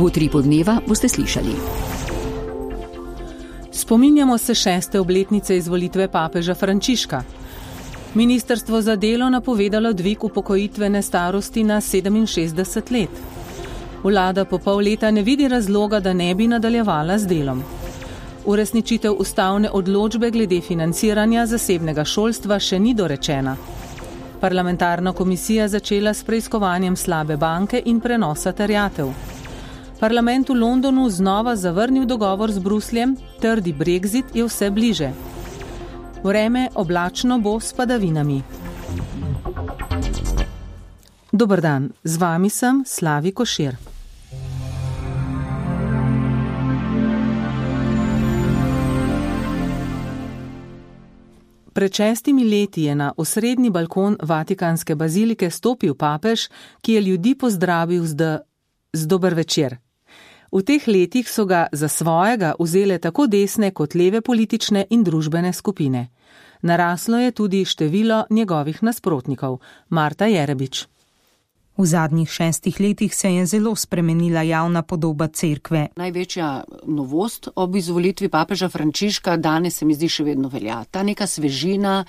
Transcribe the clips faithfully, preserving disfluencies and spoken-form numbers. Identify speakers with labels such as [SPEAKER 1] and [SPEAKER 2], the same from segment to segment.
[SPEAKER 1] V Utripu dneva boste slišali.
[SPEAKER 2] Spominjamo se šeste obletnice izvolitve papeža Frančiška. Ministrstvo za delo napovedalo dvig upokojitvene starosti na sedeminšestdeset let. Vlada po pol leta ne vidi razloga, da ne bi nadaljevala z delom. Uresničitev ustavne odločbe glede financiranja zasebnega šolstva še ni dorečena. Parlamentarna komisija začela s preiskovanjem slabe banke in prenosa terjatev. Parlament v Londonu znova zavrnil dogovor z Brusljem, trdi Brexit je vse bliže. Vreme oblačno bo s padavinami. Dober dan, z vami sem Slavi Košir. Pred šestimi leti je na osrednji balkon Vatikanske bazilike stopil papež, ki je ljudi pozdravil z, d- z dober večer. V teh letih so ga za svojega vzele tako desne kot leve politične in družbene skupine. Naraslo je tudi število njegovih nasprotnikov. Marta Jerebič.
[SPEAKER 3] V zadnjih šestih letih se je zelo spremenila javna podoba cerkve.
[SPEAKER 4] Največja novost ob izvolitvi papeža Frančiška danes se mi zdi še vedno velja. Ta neka svežina,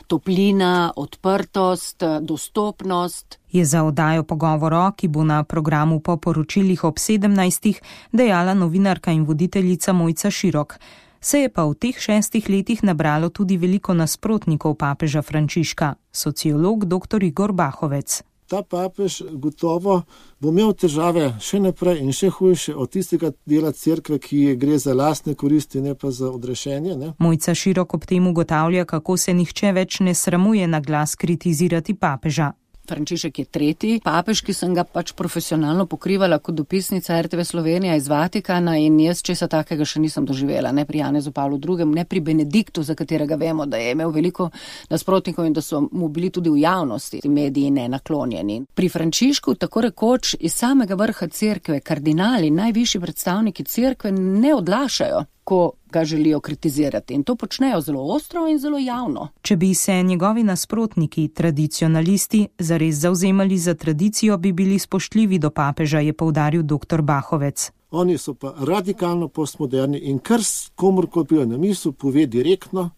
[SPEAKER 4] toplina, odprtost, dostopnost.
[SPEAKER 3] Je za oddajo Pogovoro, ki bo na programu po poročilih ob sedemnajstih, dejala novinarka in voditeljica Mojca Širok. Se je pa v teh šestih letih nabralo tudi veliko nasprotnikov papeža Frančiška, sociolog dr. Igor Bahovec.
[SPEAKER 5] Ta papež gotovo bo imel težave še naprej in še hujše od tistega dela cerkve, ki gre za lastne koristi, ne pa za odrešenje. Ne?
[SPEAKER 3] Mojca Širok ob tem ugotavlja, kako se nihče več ne sramuje na glas kritizirati papeža.
[SPEAKER 4] Frančišek je tretji papež, ki sem ga pač profesionalno pokrivala kot dopisnica er te ve Slovenija iz Vatikana in jaz česa takega še nisem doživela, ne pri Janezu Pavlu drugem, ne pri Benediktu, za katerega vemo, da je imel veliko nasprotnikov in da so mu bili tudi v javnosti mediji nenaklonjeni. Pri Frančišku tako rekoč iz samega vrha cerkve kardinali, najvišji predstavniki cerkve ne odlašajo, ko ga želijo kritizirati in to počnejo zelo ostro in zelo javno.
[SPEAKER 3] Če bi se njegovi nasprotniki, tradicionalisti, zares zavzemali za tradicijo, bi bili spoštljivi do papeža, je poudaril dr. Bahovec.
[SPEAKER 5] Oni so pa radikalno postmoderni in kar komorkoli pride na misel, pove direktno,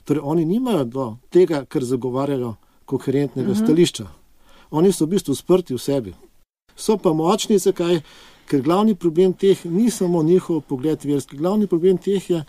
[SPEAKER 5] torej oni nimajo do tega, kar zagovarjajo koherentnega uh-huh. stališča. Oni so v bistvu sprti v sebi. So pa močni, zakaj? Ker glavni problem teh ni samo njihov pogled verski. Glavni problem teh je,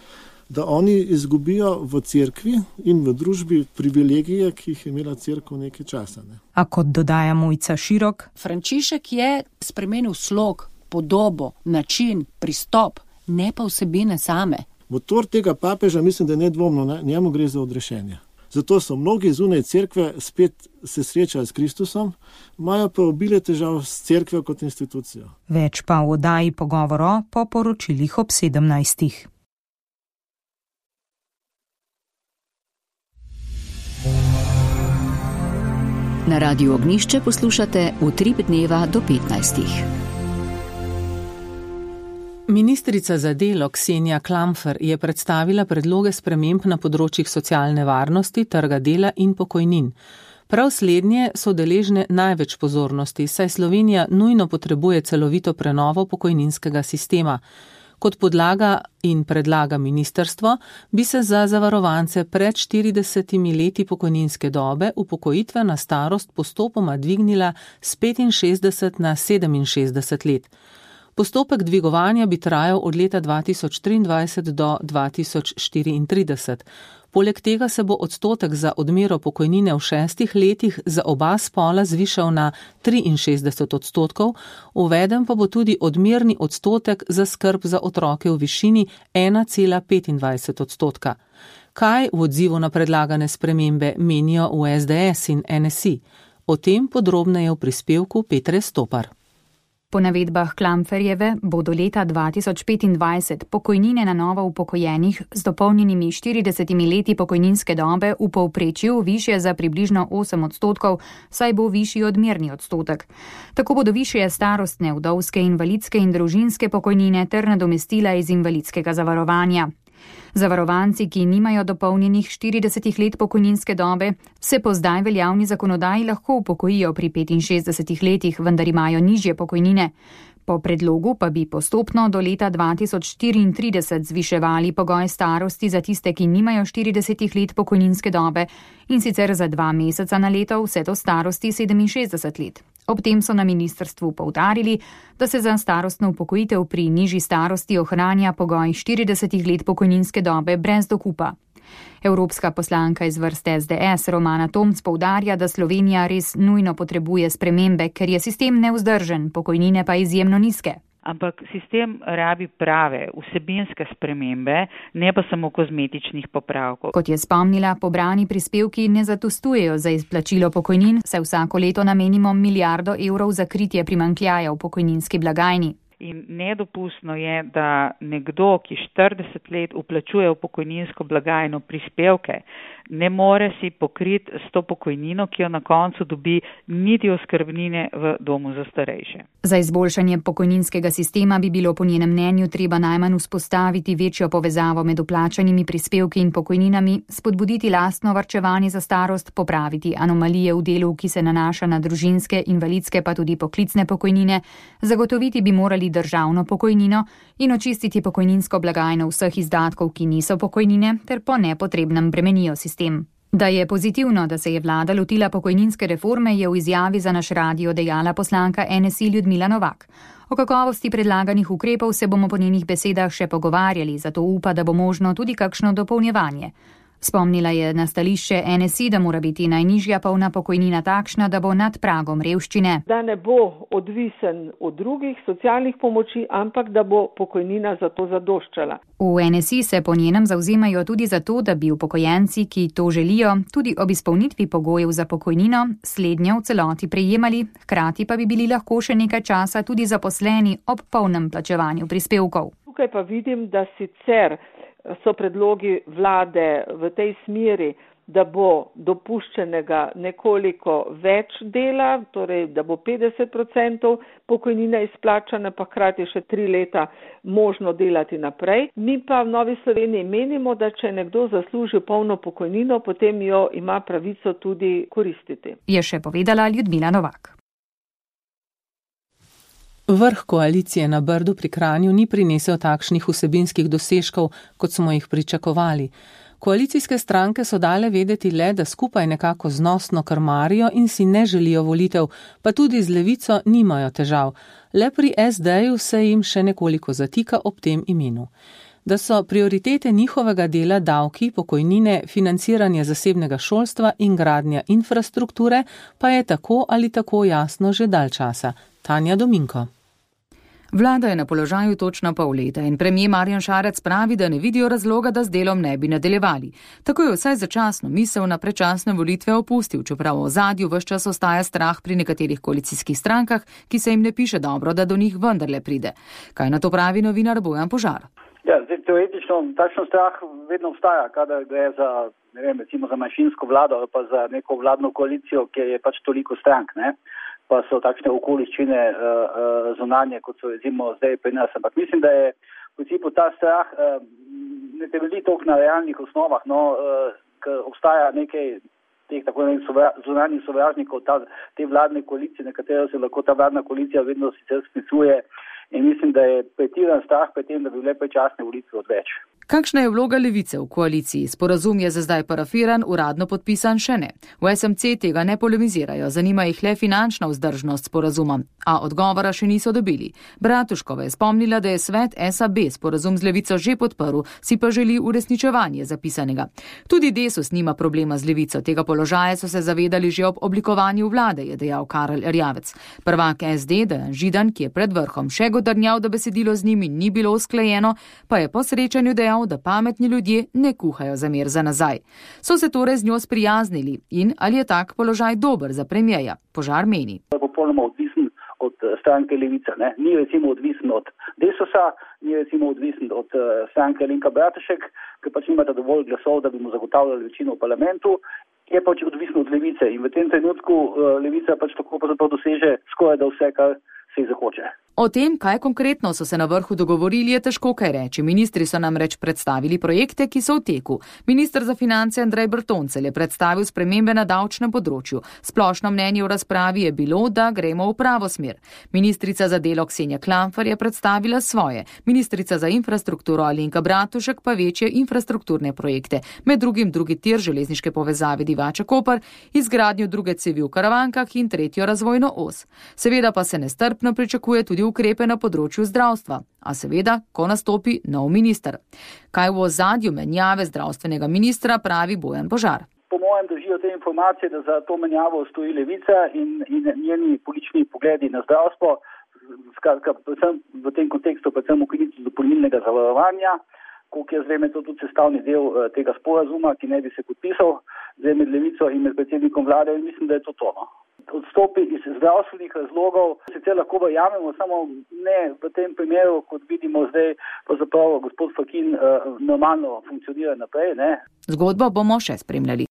[SPEAKER 5] da oni izgubijo v cerkvi in v družbi privilegije, ki jih je imela cerkev nekaj časa. Ne?
[SPEAKER 3] A kot dodaja Mojca Širok,
[SPEAKER 4] Frančišek je spremenil slog, podobo, način, pristop, ne pa vsebine same.
[SPEAKER 5] Motor tega papeža mislim, da je nedvomno, ne? Njemu gre za odrešenje. Zato so mnogi zunaj cerkve spet se srečali s Kristusom, imajo pa obile težav s cerkvijo kot institucijo.
[SPEAKER 3] Več pa v oddaji Pogovoro po poročilih ob sedemnajstih.
[SPEAKER 1] Na Radiu Ognjišče poslušate Utrip dneva do petnajstih.
[SPEAKER 2] Ministrica za delo Ksenija Klampfer je predstavila predloge sprememb na področjih socialne varnosti, trga dela in pokojnin. Prav slednje so deležne največ pozornosti, saj Slovenija nujno potrebuje celovito prenovo pokojninskega sistema. Kot podlaga in predlaga ministrstvo, bi se za zavarovance pred štiridesetimi leti pokojninske dobe upokojitvena starost postopoma dvignila s petinšestdeset na sedeminšestdeset let. Postopek dvigovanja bi trajal od leta dva tisoč triindvajset do dva tisoč štiriintrideset. Poleg tega se bo odstotek za odmero pokojnine v šestih letih za oba spola zvišal na triinšestdeset odstotkov, uveden pa bo tudi odmerni odstotek za skrb za otroke v višini ena cela petindvajset odstotka. Kaj v odzivu na predlagane spremembe menijo v es de es in en es i? O tem podrobneje v prispevku Petre Stopar.
[SPEAKER 6] Po navedbah Klampferjeve bodo leta dva tisoč petindvajset pokojnine na novo upokojenih z dopolnjenimi štiridesetimi leti pokojninske dobe v povprečju višje za približno osem odstotkov, saj bo višji odmerni odstotek. Tako bodo višje starostne, vdovske, invalidske in družinske pokojnine ter nadomestila iz invalidskega zavarovanja. Zavarovanci, ki nimajo dopolnjenih štiridesetih let pokojninske dobe, se po zdaj veljavni zakonodaji lahko upokojijo pri petinšestdesetih letih, vendar imajo nižje pokojnine. Po predlogu pa bi postopno do leta dva tisoč štiriintrideset zviševali pogoj starosti za tiste, ki nimajo štirideset let pokojninske dobe, in sicer za dva meseca na leto vse do starosti sedeminšestdeset let. Ob tem so na ministrstvu poudarili, da se za starostno upokojitev pri nižji starosti ohranja pogoj štirideset let pokojninske dobe brez dokupa. Evropska poslanka iz vrst S D S Romana Tomc poudarja, da Slovenija res nujno potrebuje spremembe, ker je sistem nevzdržen, pokojnine pa izjemno nizke.
[SPEAKER 7] Ampak sistem rabi prave, vsebinske spremembe, ne pa samo kozmetičnih popravkov.
[SPEAKER 6] Kot je spomnila, pobrani prispevki ne zadostujejo za izplačilo pokojnin, saj vsako leto namenimo milijardo evrov za kritje primanjkljaja v pokojninski blagajni.
[SPEAKER 7] In nedopustno je, da nekdo, ki štirideset let vplačuje v pokojninsko blagajno prispevke, ne more si pokriti s to pokojnino, ki jo na koncu dobi, niti oskrbnine v domu za starejše.
[SPEAKER 6] Za izboljšanje pokojninskega sistema bi bilo po njenem mnenju treba najmanj vzpostaviti večjo povezavo med vplačanimi prispevki in pokojninami, spodbuditi lastno varčevanje za starost, popraviti anomalije v delu, ki se nanaša na družinske, invalidske pa tudi poklicne pokojnine, zagotoviti bi morali državno pokojnino in očistiti pokojninsko blagajno vseh izdatkov, ki niso pokojnine, ter po nepotrebnem bremenijo sistem. Da je pozitivno, da se je vlada lotila pokojninske reforme, je v izjavi za naš radio dejala poslanka N S I Ljudmila Novak. O kakovosti predlaganih ukrepov se bomo po njenih besedah še pogovarjali, zato upa, da bo možno tudi kakšno dopolnjevanje. Spomnila je na stališče N S I, da mora biti najnižja polna pokojnina takšna, da bo nad pragom revščine.
[SPEAKER 8] Da ne bo odvisen od drugih socialnih pomoči, ampak da bo pokojnina za to zadoščala.
[SPEAKER 6] V N S I se po njenem zavzemajo tudi za to, da bi upokojenci, ki to želijo, tudi ob izpolnitvi pogojev za pokojnino, slednjo v celoti prejemali, hkrati pa bi bili lahko še nekaj časa tudi zaposleni ob polnem plačevanju prispevkov.
[SPEAKER 8] Tukaj pa vidim, da sicer so predlogi vlade v tej smeri, da bo dopuščenega nekoliko več dela, torej da bo petdeset odstotkov pokojnine izplačane, pa hkrati še tri leta možno delati naprej. Mi pa v Novi Sloveniji menimo, da če nekdo zasluži polno pokojnino, potem jo ima pravico tudi koristiti.
[SPEAKER 6] Je še povedala Ljudmila Novak.
[SPEAKER 2] Vrh koalicije na Brdu pri Kranju ni prinesel takšnih vsebinskih dosežkov, kot smo jih pričakovali. Koalicijske stranke so dale vedeti le, da skupaj nekako znosno krmarijo in si ne želijo volitev, pa tudi z Levico nimajo težav. Le pri S D-ju se jim še nekoliko zatika ob tem imenu. Da so prioritete njihovega dela davki, pokojnine, financiranje zasebnega šolstva in gradnja infrastrukture, pa je tako ali tako jasno že dalj časa. Tanja Dominko.
[SPEAKER 9] Vlada je na položaju točno pol leta in premier Marjan Šarec pravi, da ne vidijo razloga, da z delom ne bi nadaljevali. Tako je vsaj začasno misel na predčasne volitve opustil, čeprav v ozadju ves čas ostaja strah pri nekaterih koalicijskih strankah, ki se jim ne piše dobro, da do njih vendarle pride. Kaj na to pravi novinar Bojan Požar?
[SPEAKER 10] Ja, zdaj, teoretično takšen strah vedno obstaja, kadar gre za, ne vem, recimo za manjšinsko vlado ali pa za neko vladno koalicijo, kjer je pač toliko strank, ne? Pa so takšne okoliščine uh, uh, zunanje, kot so recimo zdaj pri nas. Ampak mislim, da je v principu ta strah uh, ne temelji toliko na realnih osnovah, no, uh, ker obstaja nekaj teh tako nekaj sovra, zunanjih sovražnikov ta, te vladne koalicije, na katero se lahko ta vladna koalicija vedno sicer sklicuje. In mislim, da je pretiran strah pred tem, da bi bile predčasne volitve odveč.
[SPEAKER 9] Kakšna je vloga Levice v koaliciji? Sporazum je za zdaj parafiran, uradno podpisan še ne. V S M C tega ne polemizirajo, zanima jih le finančna vzdržnost sporazuma, a odgovora še niso dobili. Bratuškova je spomnila, da je svet S A B sporazum z Levico že podprl, si pa želi uresničevanje zapisanega. Tudi Desus nima problema z Levico, tega položaja so se zavedali že ob oblikovanju vlade, je dejal Karel Erjavec. Prvak S D, Dejan Židan, ki je pred vrhom še godrnjal, da besedilo z njimi ni bilo usklajeno, pa je po srečanju dejal, da pametni ljudje ne kuhajo za mir za nazaj. So se torej z njo sprijaznili in ali je tak položaj dober za premierja? Požar meni.
[SPEAKER 10] Popolnoma odvisen od stranke Levica, ne? Ni recimo odvisen od Desusa, ni recimo odvisen od uh, stranke Alenka Bratušek, ker pač nimata dovolj glasov, da bi mu zagotavljali večino v parlamentu, je pač odvisen od Levice in v tem trenutku uh, Levica pač tako pa zato doseže skoraj da vse, kar se jih zahoče.
[SPEAKER 9] O tem, kaj konkretno so se na vrhu dogovorili, je težko kaj reči. Ministri so namreč predstavili projekte, ki so v teku. Minister za finance Andrej Bertoncelj je predstavil spremembe na davčnem področju. Splošno mnenje v razpravi je bilo, da gremo v pravo smer. Ministrica za delo Ksenija Klamfer je predstavila svoje. Ministrica za infrastrukturo Alenka Bratušek pa večje infrastrukturne projekte. Med drugim drugi tir železniške povezave Divača-Koper, izgradnjo druge cevi v Karavankah in tretjo razvojno os. Seveda pa se nestrpno pričakuje tudi ukrepe na področju zdravstva, a seveda, ko nastopi nov minister. Kaj v ozadju menjave zdravstvenega ministra pravi Bojan Požar?
[SPEAKER 10] Po mojem držijo te informacije, da za to menjavo stoji Levica in, in njeni politični pogledi na zdravstvo, skratka, predvsem v tem kontekstu, predvsem ukinitev dopolnilnega zavarovanja, koliko jaz vem, je to tudi sestavni del tega sporazuma, ki ne bi se podpisal zdaj med Levico in med predsednikom vlade, in mislim, da je to tono. Odstopi iz zdravstvenih razlogov, sicer lahko verjamemo, samo ne v tem primeru, kot vidimo zdaj, pravzaprav gospod Fakin uh, normalno funkcionira naprej. Ne?
[SPEAKER 9] Zgodbo bomo še spremljali.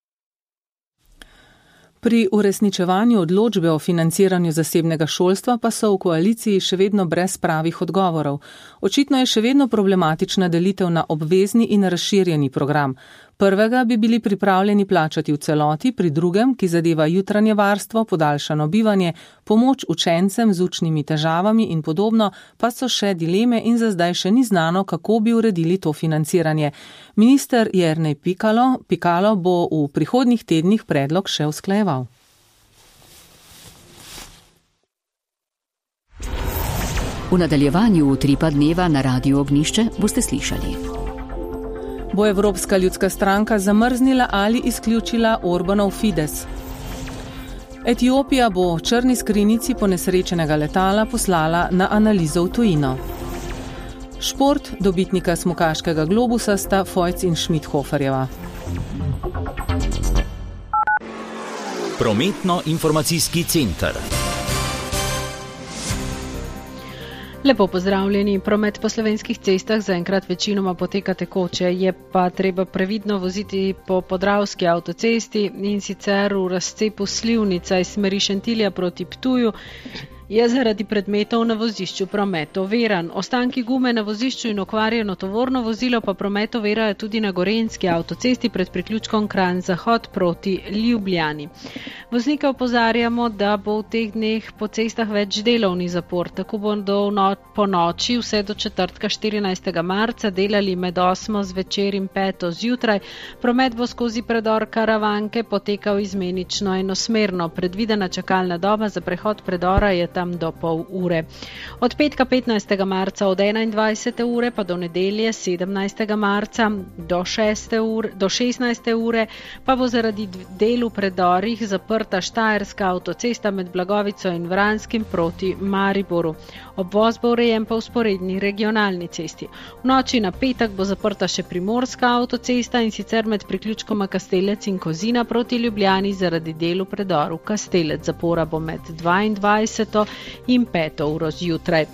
[SPEAKER 2] Pri uresničevanju odločbe o financiranju zasebnega šolstva pa so v koaliciji še vedno brez pravih odgovorov. Očitno je še vedno problematična delitev na obvezni in razširjeni program. Prvega bi bili pripravljeni plačati v celoti, pri drugem, ki zadeva jutranje varstvo, podaljšano bivanje, pomoč učencem z učnimi težavami in podobno, pa so še dileme in za zdaj še ni znano, kako bi uredili to financiranje. Minister Jernej Pikalo, Pikalo bo v prihodnjih tednih predlog še usklajeval.
[SPEAKER 1] V nadaljevanju Utripa dneva na Radiu Ognjišče boste slišali.
[SPEAKER 2] Bo Evropska ljudska stranka zamrznila ali izključila Orbanov Fides? Etiopija bo črni skrinjici ponesrečenega letala poslala na analizo v tujino. Šport, dobitnika smukaškega globusa sta Fojc in Schmidhoferjeva.
[SPEAKER 11] Prometno-informacijski center.
[SPEAKER 12] Lepo pozdravljeni. Promet po slovenskih cestah zaenkrat večinoma poteka tekoče, je pa treba previdno voziti po Podravski avtocesti in sicer v razcepu Slivnica iz smeri Šentilja proti Ptuju. Je zaradi predmetov na vozišču promet oviran. Ostanki gume na vozišču in okvarjeno tovorno vozilo pa promet ovirajo tudi na Gorenjski avtocesti pred priključkom Kranj-Zahod proti Ljubljani. Voznike opozarjamo, da bo v teh dneh po cestah več delovni zapor. Tako bodo no, po noči vse do četrtka štirinajstega marca delali med osmo zvečer in peto zjutraj. Promet bo skozi predor Karavanke potekal izmenično enosmerno. Predvidena čakalna doba za prehod predora je tam do pol ure. Od petka petnajstega marca od enaindvajsete ure pa do nedelje sedemnajstega marca do, ure, do šestnajste ure pa bo zaradi del v predorih zaprta Štajerska avtocesta med Blagovico in Vranskim proti Mariboru. Obvoz bo urejen pa v sporedni regionalni cesti. V noči na petek bo zaprta še Primorska avtocesta in sicer med priključkoma Kastelec in Kozina proti Ljubljani zaradi del v predoru Kastelec. Zapora bo med dvaindvajseto in peto uro zjutraj.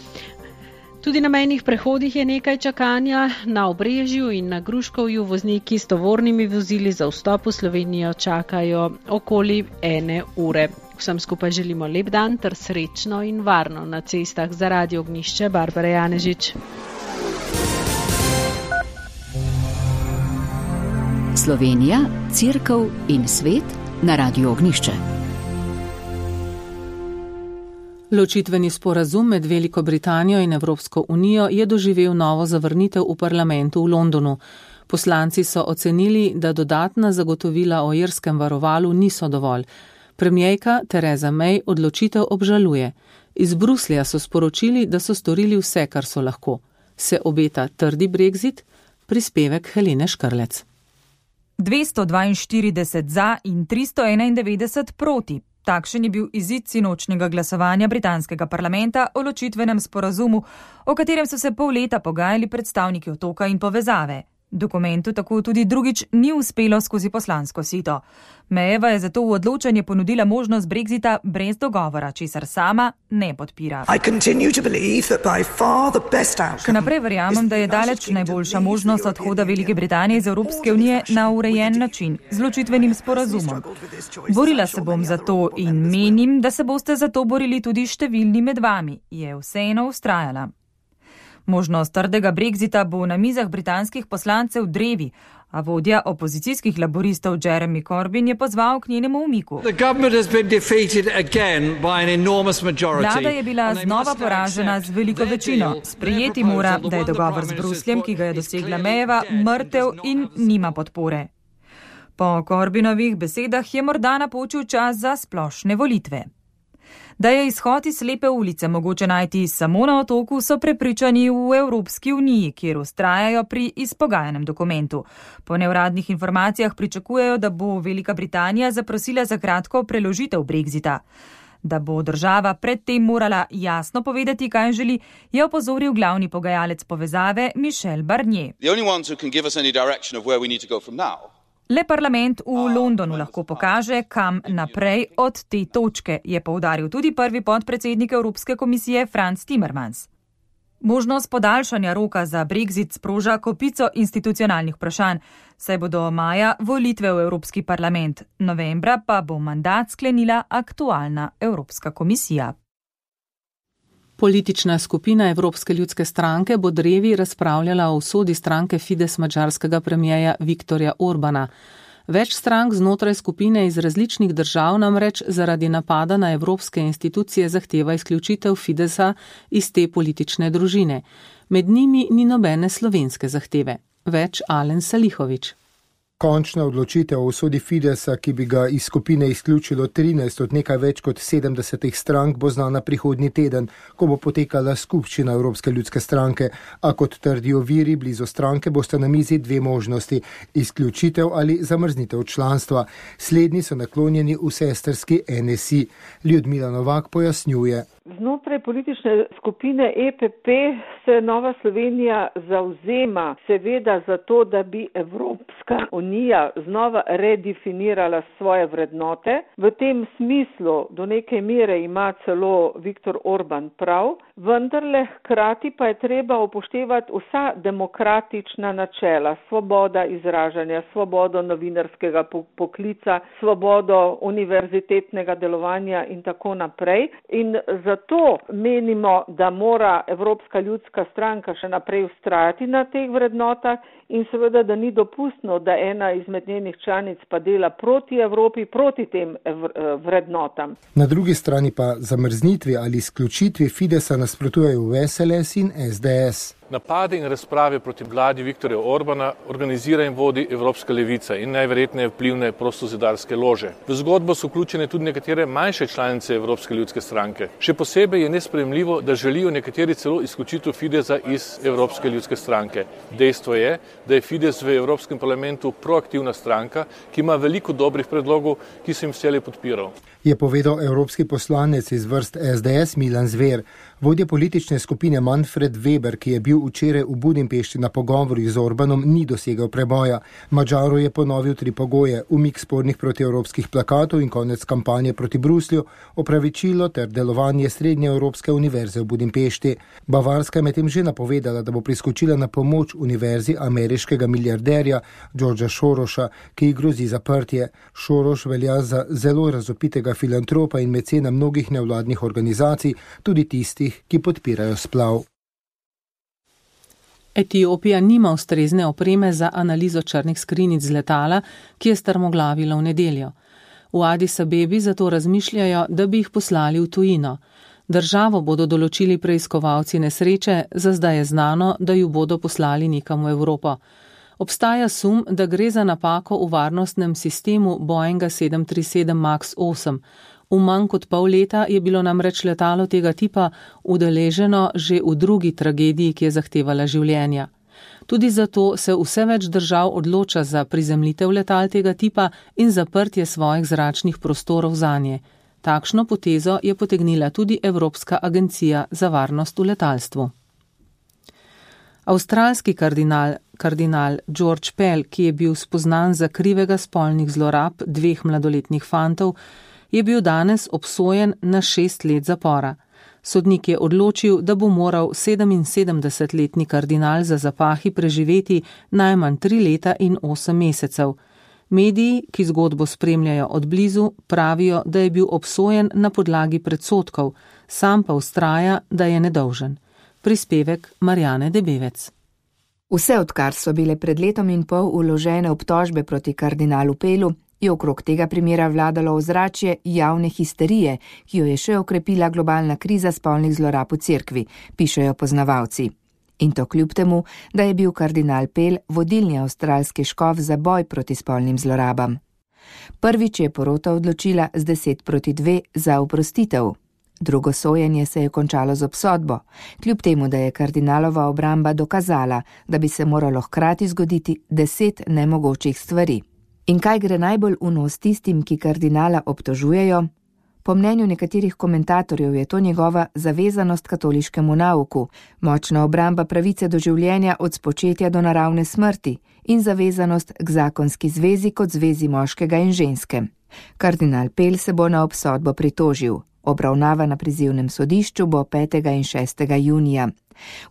[SPEAKER 12] Tudi na mejnih prehodih je nekaj čakanja. Na Obrežju in na Gruškovju vozniki s tovornimi vozili za vstop v Slovenijo čakajo okoli ene ure. Vsem skupaj želimo lep dan ter srečno in varno na cestah. Za Radio Ognjišče Barbara Janežič.
[SPEAKER 1] Slovenija, Cerkev in svet na Radio Ognjišče.
[SPEAKER 2] Ločitveni sporazum med Veliko Britanijo in Evropsko unijo je doživel novo zavrnitev v parlamentu v Londonu. Poslanci so ocenili, da dodatna zagotovila o irskem varovalu niso dovolj. Premierka Theresa May odločitev obžaluje. Iz Bruslja so sporočili, da so storili vse, kar so lahko. Se obeta trdi brexit? Prispevek Helene Škrlec.
[SPEAKER 3] dvesto dvainštirideset za in tristo enaindevetdeset proti. Takšen je bil izid sinočnjega glasovanja britanskega parlamenta o ločitvenem sporazumu, o katerem so se pol leta pogajali predstavniki otoka in povezave. Dokumentu tako tudi drugič ni uspelo skozi poslansko sito. Mayeva je zato v odločanje ponudila možnost Brexita brez dogovora, česar sama ne podpira. Še naprej verjamem, da je daleč najboljša možnost odhoda Velike Britanije iz Evropske unije na urejen način, z ločitvenim sporazumom. Borila se bom za to in menim, da se boste za to borili tudi številni med vami, je vseeno vztrajala. Možnost trdega Brexita bo na mizah britanskih poslancev drevi, a vodja opozicijskih laboristov Jeremy Corbyn je pozval k njenemu umiku. Vlada je bila znova poražena z veliko večino. Sprejeti mora, da je dogovor z Brusljem, ki ga je dosegla Mayeva, mrtev in nima podpore. Po Corbynovih besedah je morda napočil čas za splošne volitve. Da je izhod iz slepe ulice mogoče najti samo na otoku, so prepričani v Evropski uniji, kjer vztrajajo pri izpogajanem dokumentu. Po neuradnih informacijah pričakujejo, da bo Velika Britanija zaprosila za kratko preložitev Brexita. Da bo država predtem morala jasno povedati, kaj želi, je opozoril glavni pogajalec povezave Michel Barnier. Le parlament v Londonu lahko pokaže, kam naprej od te točke, je poudaril tudi prvi podpredsednik Evropske komisije Franz Timmermans. Možnost podaljšanja roka za Brexit sproža kopico institucionalnih vprašanj, saj bodo maja volitve v Evropski parlament, novembra pa bo mandat sklenila aktualna Evropska komisija.
[SPEAKER 2] Politična skupina Evropske ljudske stranke bo drevi razpravljala o usodi stranke Fides madžarskega premijeja Viktorja Orbana. Več strank znotraj skupine iz različnih držav namreč zaradi napada na evropske institucije zahteva izključitev Fidesa iz te politične družine. Med njimi ni nobene slovenske zahteve. Več Alen Salihović.
[SPEAKER 13] Končna odločitev o usodi Fidesa, ki bi ga iz skupine izključilo trinajst od nekaj več kot sedemdesetih strank, bo znana prihodnji teden, ko bo potekala skupščina Evropske ljudske stranke, a kot trdijo viri blizu stranke, bosta na mizi dve možnosti, izključitev ali zamrznitev članstva. Slednji so naklonjeni v sestrski N S I. Ljudmila Novak pojasnjuje.
[SPEAKER 8] Znotraj politične skupine E P P se Nova Slovenija zavzema seveda za to, da bi Evropska unija znova redefinirala svoje vrednote. V tem smislu do neke mere ima celo Viktor Orban prav, vendarle hkrati pa je treba upoštevati vsa demokratična načela, svoboda izražanja, svobodo novinarskega poklica, svobodo univerzitetnega delovanja in tako naprej. In zato menimo, da mora Evropska ljudska stranka še naprej vztrajati na teh vrednotah in seveda, da ni dopustno, da ena izmed njenih članic pa dela proti Evropi, proti tem vrednotam.
[SPEAKER 13] Na drugi strani pa zamrznitvi ali izključitvi Fidesa nasprotujejo V S L S in S D S.
[SPEAKER 14] Napade in razprave proti vladi Viktorja Orbana organizira in vodi Evropska levica in najverjetneje vplivne prostozidarske lože. V zgodbo so vključene tudi nekatere manjše članice Evropske ljudske stranke. Še posebej je nesprejemljivo, da želijo nekateri celo izključitev Fidesa iz Evropske ljudske stranke. Dejstvo je, da je Fides v Evropskem parlamentu proaktivna stranka, ki ima veliko dobrih predlogov, ki se jim vselej podpiral.
[SPEAKER 13] Je povedal evropski poslanec iz vrst S D S Milan Zver. Vodja politične skupine Manfred Weber, ki je bil včeraj v Budimpešti na pogovorih z Orbanom, ni dosegel preboja. Madžaru je ponovil tri pogoje: umik spornih protievropskih plakatov in konec kampanje proti Bruslju, opravičilo ter delovanje Srednje Evropske univerze v Budimpešti. Bavarska je medtem že napovedala, da bo priskočila na pomoč univerzi ameriškega milijarderja Georgea Sorosa, ki ji grozi zaprtje. Soros velja za zelo razopitega filantropa in mecena mnogih nevladnih organizacij, tudi tistih, ki podpirajo splav.
[SPEAKER 2] Etiopija nima ustrezne opreme za analizo črnih skrinjic z letala, ki je strmoglavilo v nedeljo. V Adis Abebi zato razmišljajo, da bi jih poslali v tujino. Državo bodo določili preiskovalci nesreče, za zdaj je znano, da ju bodo poslali nekam v Evropo. Obstaja sum, da gre za napako v varnostnem sistemu Boeinga sedem tri sedem Max osem. V manj kot pol leta je bilo namreč letalo tega tipa udeleženo že v drugi tragediji, ki je zahtevala življenja. Tudi zato se vse več držav odloča za prizemljitev letal tega tipa in zaprtje svojih zračnih prostorov zanje. Takšno potezo je potegnila tudi Evropska agencija za varnost v letalstvu. Avstralski kardinal kardinal George Pell, ki je bil spoznan za krivega spolnih zlorab dveh mladoletnih fantov, je bil danes obsojen na šest let zapora. Sodnik je odločil, da bo moral sedeminsedemdesetletni kardinal za zapahi preživeti najmanj tri leta in osem mesecev. Mediji, ki zgodbo spremljajo od blizu, pravijo, da je bil obsojen na podlagi predsodkov, sam pa vztraja, da je nedolžen. Prispevek Marjane Debevec.
[SPEAKER 15] Vse odkar so bile pred letom in pol vložene obtožbe proti kardinalu Pellu, je okrog tega primera vladalo ozračje javne histerije, ki jo je še okrepila globalna kriza spolnih zlorab v cerkvi, pišejo poznavalci. In to kljub temu, da je bil kardinal Pell vodilni avstralski škof za boj proti spolnim zlorabam. Prvič je porota odločila z deset proti dve za oprostitev. Drugo sojenje se je končalo z obsodbo, kljub temu, da je kardinalova obramba dokazala, da bi se moralo hkrati zgoditi deset nemogočih stvari. In kaj gre najbolj v nos tistim, ki kardinala obtožujejo? Po mnenju nekaterih komentatorjev je to njegova zavezanost katoliškemu nauku, močna obramba pravice do življenja od spočetja do naravne smrti in zavezanost k zakonski zvezi kot zvezi moškega in ženske. Kardinal Pell se bo na obsodbo pritožil. Obravnava na prizivnem sodišču bo petega in šestega junija.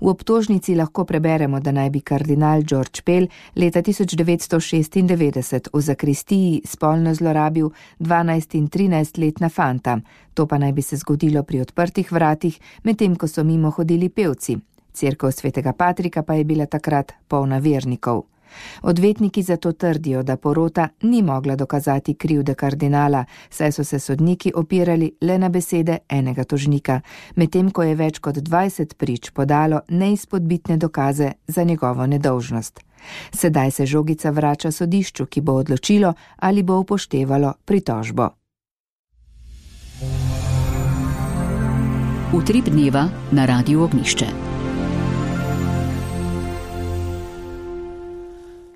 [SPEAKER 15] V obtožnici lahko preberemo, da naj bi kardinal George Pell leta tisoč devetsto šestindevetdeset v zakristiji spolno zlorabil dvanajst in trinajst letna fanta. To pa naj bi se zgodilo pri odprtih vratih, medtem ko so mimo hodili pevci. Cerkev svetega Patrika pa je bila takrat polna vernikov. Odvetniki zato trdijo, da porota ni mogla dokazati krivde kardinala, saj so se sodniki opirali le na besede enega tožnika, medtem ko je več kot dvajset prič podalo neizpodbitne dokaze za njegovo nedolžnost. Sedaj se žogica vrača sodišču, ki bo odločilo, ali bo upoštevalo pritožbo.
[SPEAKER 1] Utrip dneva na Radiu Ognjišče.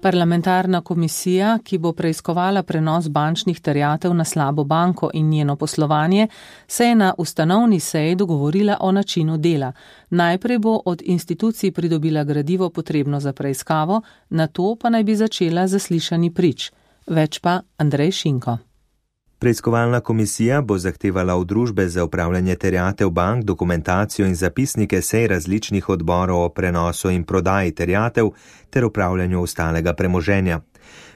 [SPEAKER 2] Parlamentarna komisija, ki bo preiskovala prenos bančnih terjatev na slabo banko in njeno poslovanje, se je na ustanovni seji dogovorila o načinu dela. Najprej bo od institucij pridobila gradivo potrebno za preiskavo, nato pa naj bi začela zaslišani prič. Več pa Andrej Šinko.
[SPEAKER 16] Preiskovalna komisija bo zahtevala od družbe za upravljanje terjatev bank dokumentacijo in zapisnike sej različnih odborov o prenosu in prodaji terjatev ter upravljanju ostalega premoženja.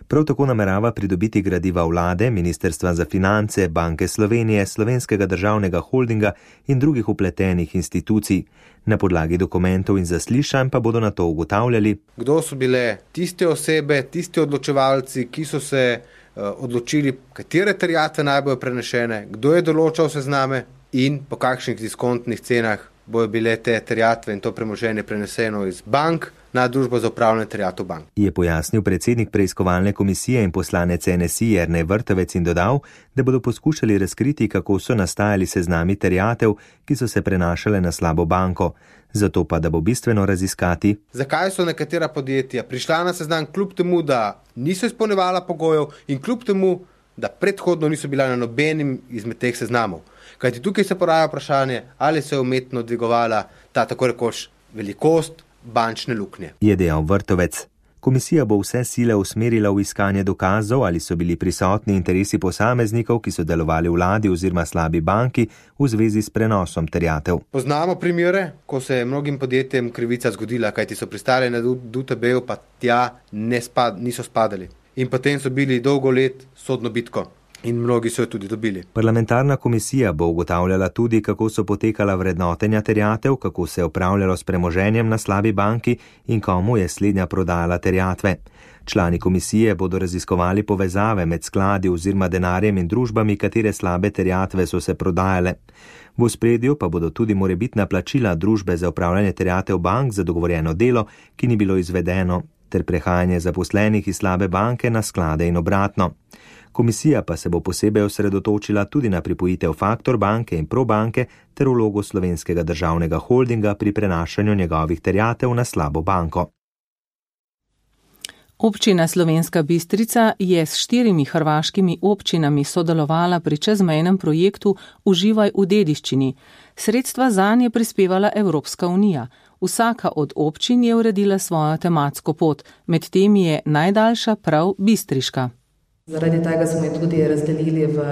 [SPEAKER 16] Prav tako namerava pridobiti gradiva vlade, Ministrstva za finance, Banke Slovenije, Slovenskega državnega holdinga in drugih upletenih institucij. Na podlagi dokumentov in zaslišanj pa bodo na to ugotavljali,
[SPEAKER 17] kdo so bile tiste osebe, tisti odločevalci, ki so se odločili, katere terjatve naj bojo prenešene, kdo je določal sezname in po kakšnih diskontnih cenah bojo bile te terjatve in to premoženje preneseno iz bank na družbo za upravljanje terjatev bank.
[SPEAKER 16] Je pojasnil predsednik preiskovalne komisije in poslanec N S I Jernej Vrtovec in dodal, da bodo poskušali razkriti, kako so nastajali seznami terjatev, ki so se prenašale na slabo banko. Zato pa, da bo bistveno raziskati,
[SPEAKER 17] zakaj so nekatera podjetja prišla na seznam kljub temu, da niso izpolnjevala pogojev in kljub temu, da predhodno niso bila na nobenim izmed teh seznamov. Kajti tukaj se poraja vprašanje, ali se je umetno dvigovala ta tako rekoč velikost bančne luknje.
[SPEAKER 16] Je dejal Vrtovec. Komisija bo vse sile usmerila v iskanje dokazov, ali so bili prisotni interesi posameznikov, ki so delovali v vladi oziroma slabi banki v zvezi s prenosom terjatev.
[SPEAKER 17] Poznamo primere, ko se je mnogim podjetjem krivica zgodila, kajti so pristali na D U T B-ju, pa tja ne spad, niso spadali. In potem so bili dolgo let sodno bitko. In mnogi so jo tudi dobili.
[SPEAKER 16] Parlamentarna komisija bo ugotavljala tudi, kako so potekala vrednotenja terjatev, kako se je upravljalo s premoženjem na slabi banki in komu je slednja prodajala terjatve. Člani komisije bodo raziskovali povezave med skladi oziroma denarjem in družbami, katere slabe terjatve so se prodajale. V ospredju pa bodo tudi morebitna plačila družbe za upravljanje terjatev bank za dogovorjeno delo, ki ni bilo izvedeno, ter prehajanje zaposlenih iz slabe banke na sklade in obratno. Komisija pa se bo posebej osredotočila tudi na pripojitev Faktor banke in Probanke ter vlogo Slovenskega državnega holdinga pri prenašanju njegovih terjatev na slabo banko.
[SPEAKER 2] Občina Slovenska Bistrica je s štirimi hrvaškimi občinami sodelovala pri čezmejnem projektu Uživaj v dediščini. Sredstva zanj je prispevala Evropska unija. Vsaka od občin je uredila svojo tematsko pot, med temi je najdaljša prav bistriška.
[SPEAKER 18] Zaradi tega smo jo tudi razdelili v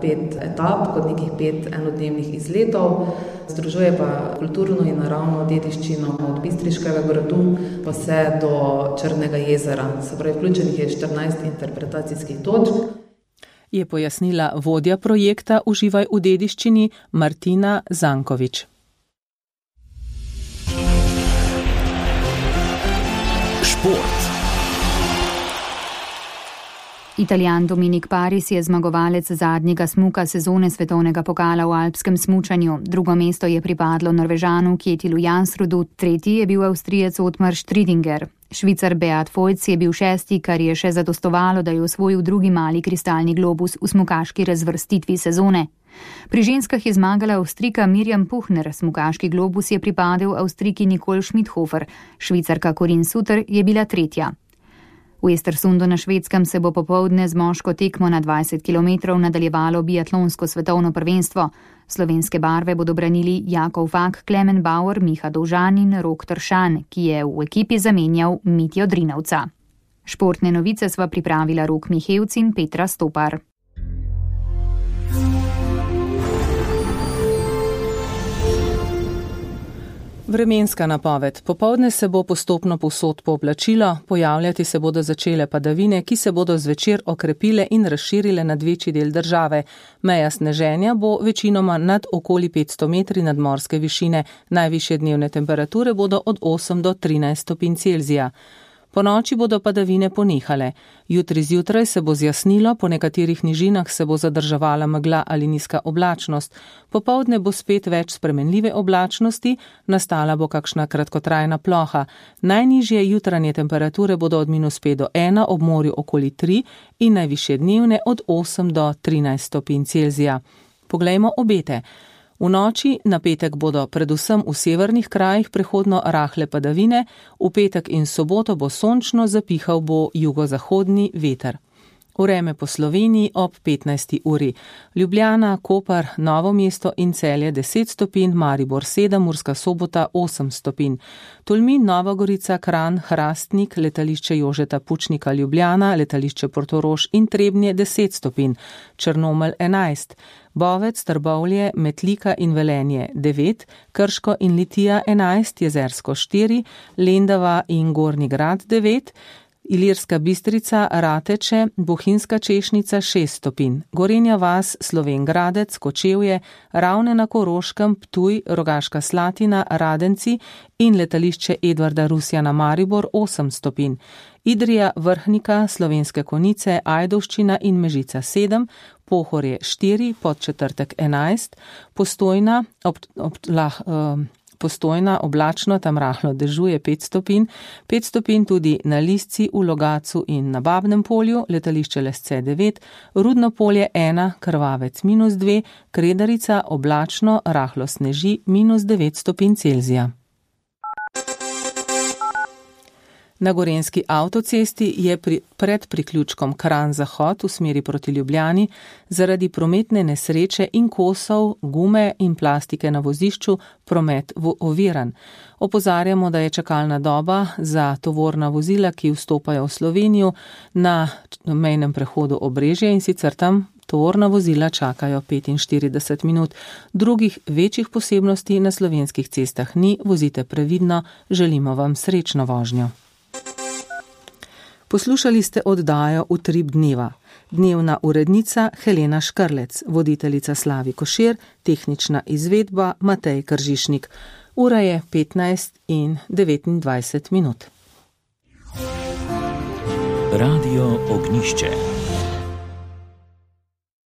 [SPEAKER 18] pet etap, kot nekih pet enodnevnih izletov. Združuje pa kulturno in naravno dediščino od Bistriškega gradu pa vse do Črnega jezera. Se pravi, vključenih je štirinajst interpretacijskih točk.
[SPEAKER 2] Je pojasnila vodja projekta Uživaj v dediščini Martina Zankovič.
[SPEAKER 1] Šport.
[SPEAKER 6] Italijan Dominik Paris je zmagovalec zadnjega smuka sezone svetovnega pokala v alpskem smučanju. Drugo mesto je pripadlo Norvežanu Kjetilu Jansrudu, tretji je bil Avstrijec Otmar Stridinger. Švicar Beat Feuz je bil šesti, kar je še zadostovalo, da je osvojil drugi mali kristalni globus v smukaški razvrstitvi sezone. Pri ženskah je zmagala Avstrijka Mirjam Puchner, smukaški globus je pripadel Avstrijki Nicole Schmidhofer, Švicarka Corinne Suter je bila tretja. V Estersundu na Švedskem se bo popoldne z moško tekmo na dvajset kilometrov nadaljevalo biatlonsko svetovno prvenstvo. Slovenske barve bodo branili Jakov Fak, Klemen Bauer, Miha Dovžan in Rok Tršan, ki je v ekipi zamenjal Mitjo Drinovca. Športne novice sva pripravila Rok Mihevc in Petra Stopar.
[SPEAKER 2] Vremenska napoved. Popoldne se bo postopno povsod pooblačilo, pojavljati se bodo začele padavine, ki se bodo zvečer okrepile in razširile nad večji del države. Meja sneženja bo večinoma nad okoli petsto metri nadmorske višine. Najvišje dnevne temperature bodo od osem do trinajst stopinj Celzija. Po noči bodo padavine ponehale. Jutri zjutraj se bo zjasnilo, po nekaterih nižinah se bo zadrževala megla ali nizka oblačnost. Popoldne bo spet več spremenljive oblačnosti, nastala bo kakšna kratkotrajna ploha. Najnižje jutranje temperature bodo od minus pet do ena, ob morju okoli tri in najvišje dnevne od osem do trinajst stopinj Celzija. Poglejmo obete. V noči na petek bodo predvsem v severnih krajih prehodno rahle padavine, v petek in soboto bo sončno, zapihal bo jugozahodni veter. Vreme po Sloveniji ob petnajsti uri. Ljubljana, Koper, Novo mesto in Celje deset stopinj, Maribor sedem, Murska Sobota osem stopinj. Tolmin, Nova Gorica, Kranj, Hrastnik, letališče Jožeta Pučnika Ljubljana, letališče Portorož in Trebnje deset stopinj. Črnomelj enajst. Bovec, Trbovlje, Metlika in Velenje devet, Krško in Litija enajst, Jezersko štiri, Lendava in Gornji Grad devet, Ilirska Bistrica, Rateče, Bohinjska Češnica šest stopinj, Gorenja vas, Slovenj Gradec, Kočevje, Ravne na Koroškem, Ptuj, Rogaška Slatina, Radenci in letališče Edvarda Rusjana Maribor osem stopinj, Idrija, Vrhnika, Slovenske Konjice, Ajdovščina in Mežica sedem, Pohorje štiri, Podčetrtek enajst, Postojna, ob, ob, lah, uh, Postojna, oblačno, tam rahlo dežuje pet stopinj, pet stopinj tudi na Lisci, v Logatcu in na Babnem polju, letališče Lesce devet, Rudno polje ena, Krvavec minus dve, Kredarica, oblačno, rahlo sneži, minus devet stopinj Celzija. Na Gorenjski avtocesti je pri, pred priključkom Kranj-Zahod v smeri proti Ljubljani zaradi prometne nesreče in kosov, gume in plastike na vozišču promet oviran. Opozarjamo, da je čakalna doba za tovorna vozila, ki vstopajo v Slovenijo, na mejnem prehodu Obrežje in sicer tam tovorna vozila čakajo petinštirideset minut. Drugih večjih posebnosti na slovenskih cestah ni, vozite previdno, želimo vam srečno vožnjo. Poslušali ste oddajo Utrip dneva. Dnevna urednica Helena Škrlec, voditeljica Slavi Košir, tehnična izvedba Matej Kržišnik. Ura je petnajst in devetindvajset minut.
[SPEAKER 11] Radio Ognišče.